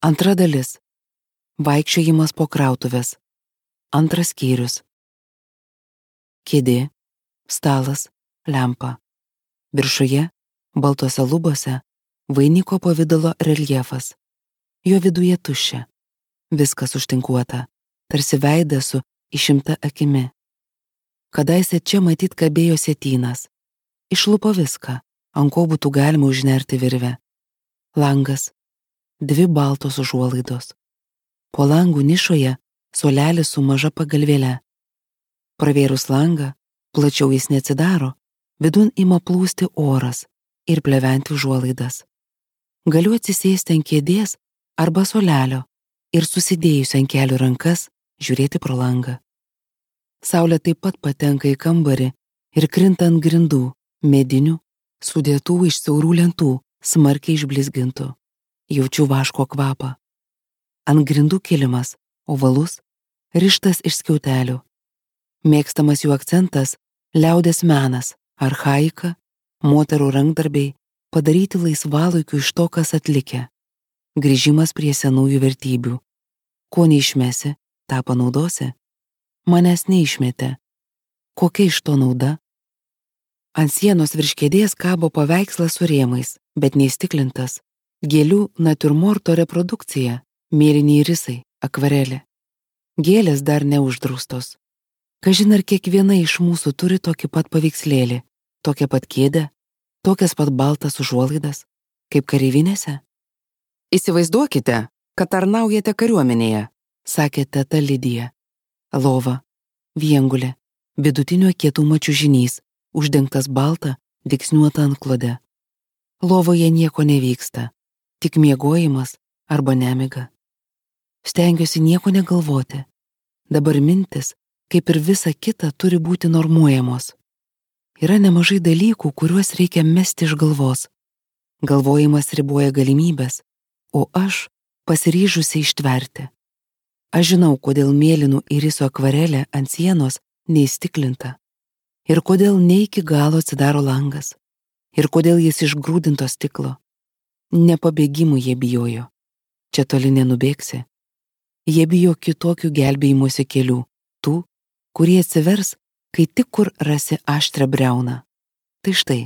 Antra dalis. Vaikščiojimas po krautuvės. Antras skyrius. Kėdė, stalas, lempa. Viršuje, baltose lubose, vainiko pavidalo reljefas. Jo viduje tuščia. Viskas užtinkuota, tarsi veidas su išimta akimi. Kadaise čia matyt kabėjo sietynas. Išlupo viską, ant ko būtų galima užnerti virvę. Langas, 2 baltos užuolaidos. Po langų nišoje suolelis su maža pagalvėle. Pravėrus langą, plačiau jis neatsidaro, vidun ima plūsti oras ir pleventi užuolaidas. Galiu atsisėsti ant kėdės arba suolelio ir susidėjusi ant kelių rankas žiūrėti pro langą. Saulė taip pat patenka į kambarį ir krinta ant grindų, medinių, sudėtų iš siaurų lentų, smarkiai išblizgintų. Jaučiu vaško kvapą. Ant grindų kilimas, ovalus, rištas iš skiautelių. Mėgstamas jų akcentas – liaudės menas, archaika, moterų rankdarbiai, padaryti laisvalaikiu iš to, kas atlikę. Grįžimas prie senųjų vertybių. Ko neišmesi, tą panaudosi. Manęs neišmetė. Kokia iš to nauda? Ant sienos virš kėdės kabo paveikslas su rėmais, bet neįstiklintas. Gėlių natiurmorto reprodukcija, mėlyniai risai, akvarelė. Gėlės dar neuždraustos. Kažin ar kiekviena iš mūsų turi tokį pat paveikslėlį, tokią pat kėdę, tokias pat baltas užuolaidas, kaip kareivinėse? Įsivaizduokite, kad tarnaujate kariuomenėje, sakė teta Lidija. Lova, viengulė, vidutinio kietumo čiužinys, uždengtas balta, dygsniuota antklode. Lovoje nieko nevyksta, tik miegojimas arba nemiga. Stengiuosi nieko negalvoti. Dabar mintis, kaip ir visa kita, turi būti normuojamos. Yra nemažai dalykų, kuriuos reikia mesti iš galvos. Galvojimas riboja galimybės, o aš pasiryžusi ištverti. Aš žinau, kodėl mėlynų iriso akvarelė ant sienos neįstiklinta. Ir kodėl ne iki galo atsidaro langas. Ir kodėl jis iš grūdinto stiklo. Ne pabėgimų jie bijojo. Čia toli nenubėgsi. Jie bijo kitokių gelbėjimosi kelių, tų, kurie atsivers, kai tik kur rasi aštrią briauną. Tai štai,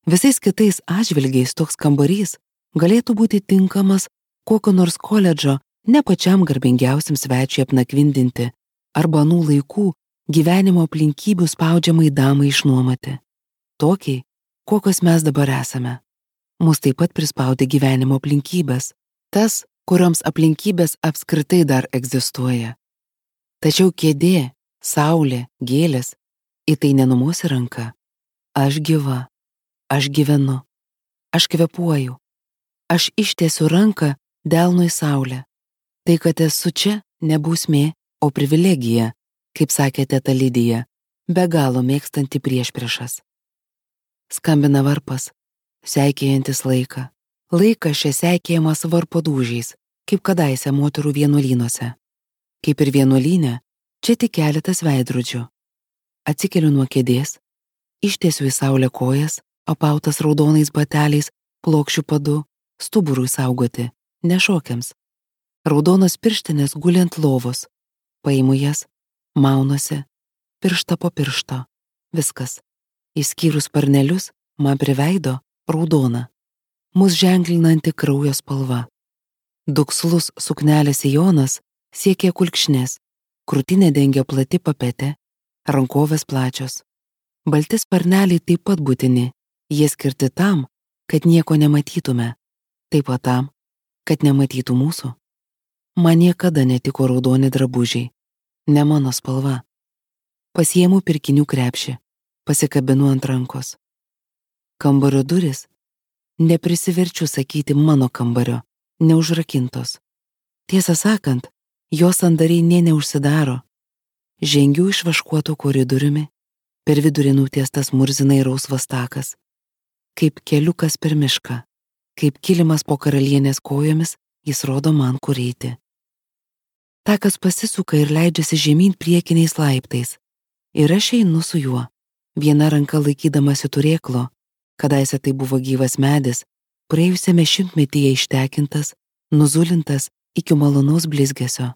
visais kitais atžvilgiais toks kambarys galėtų būti tinkamas kokio nors koledžo ne pačiam garbingiausiam svečiui apnakvindinti arba anų laikų gyvenimo aplinkybių spaudžiamai damai išnuomoti. Tokiai, kokios mes dabar esame. Mus taip pat prispaudė gyvenimo aplinkybės, tas, kurioms aplinkybės apskritai dar egzistuoja. Tačiau kėdė, saulė, gėlės, į tai nenumuosi ranka. Aš gyva, aš gyvenu, aš kvėpuoju, aš ištiesiu ranką delnui saulę. Tai, kad esu čia, ne bausmė, o privilegija, kaip sakė teta Lidija, be galo mėgstanti priešpriešas. Skambina varpas, seikėjantis laiką. Laikas čia seikėjamas varpo dūžiais, kaip kadaise moterų vienuolynuose. Kaip ir vienuolyne, čia tik keletas veidrodžių. Atsikeliu nuo kėdės, ištiesiu į saulę kojas, apautas raudonais bateliais, plokščių padu, stuburui saugoti, nešokiams. Raudonos pirštinės guli ant lovos. Paimu jas, maunuosi, pirštą po piršto. Viskas. Išskyrus sparnelius, man prie veido raudona. Mus ženklinanti kraujo spalva. Dukslus suknelės sijonas siekia kulkšnės, krūtinė dengia plati papetė, rankovės plačios. Balti sparneliai taip pat būtini, jie skirti tam, kad nieko nematytume, taip pat tam, kad nematytų mūsų. Man niekada netiko raudoni drabužiai, ne mano spalva. Pasiimu pirkinių krepšį, pasikabinu ant rankos. Kambario duris, neprisiverčiu sakyti mano kambario, neužrakintos. Tiesą sakant, jos sandariai nė neužsidaro. Žengiu išvaškuotų koridoriumi, per vidurį nutiestas murzinai rausvas takas. Kaip keliukas per mišką, kaip kilimas po karalienės kojomis, jis rodo man kur eiti. Takas pasisuka ir leidžiasi žemyn priekiniais laiptais. Ir aš einu su juo, viena ranka laikydamasi turėklo, kadaise tai buvo gyvas medis, praėjusiame šimtmetyje ištekintas, nuzulintas iki malonaus blizgesio.